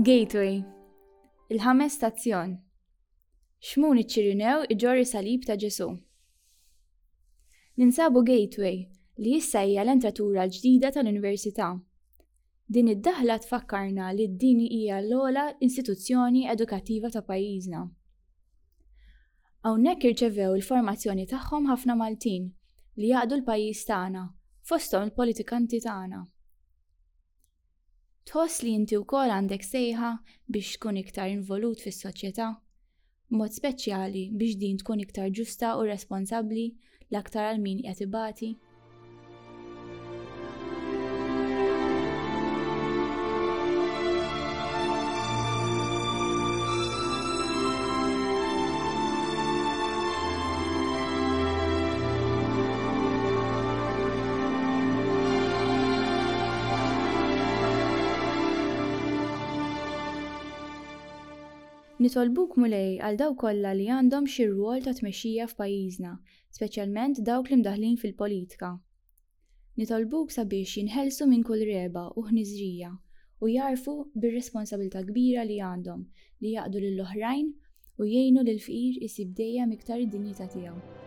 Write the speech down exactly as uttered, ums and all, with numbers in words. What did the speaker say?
Gateway. Il-ħames stazzjon. Xmun iċ-Ċirinew iġorr is-salib ta' Ġesù. Ninsabu Gateway, li issa hija l-entratura l-ġdida tal-Università. Din id-daħla tfakkarna li din hija l-ogħla istituzzjoni edukattiva ta' pajjiżna. Hawnhekk irċevew il-formazzjoni tagħhom ħafna Maltin li jaqdu l-pajjiż tagħna, fosthom il-politikanti tagħna. Tħoss li inti wkoll għandek sejħa biex tkun iktar involut fis-soċjetà, b'mod speċjali biex din tkun iktar ġusta u responsabbli l-aktar għal min qed ibati? Nitolbuk Mulej għal dawk kollha li għandhom xi rwol ta' tmexxija f'pajjiżna, speċjalment dawk li mdaħħlin fil-politika. Nitolbuk sabiex jinħelsu minn kull regħba u ħniżrija u jagħrfu bir-responsabilità kbira li għandhom li jaqdu lill-oħrajn u jgħinu lill-fqir isib dejjem iktar id-dinjità tiegħu.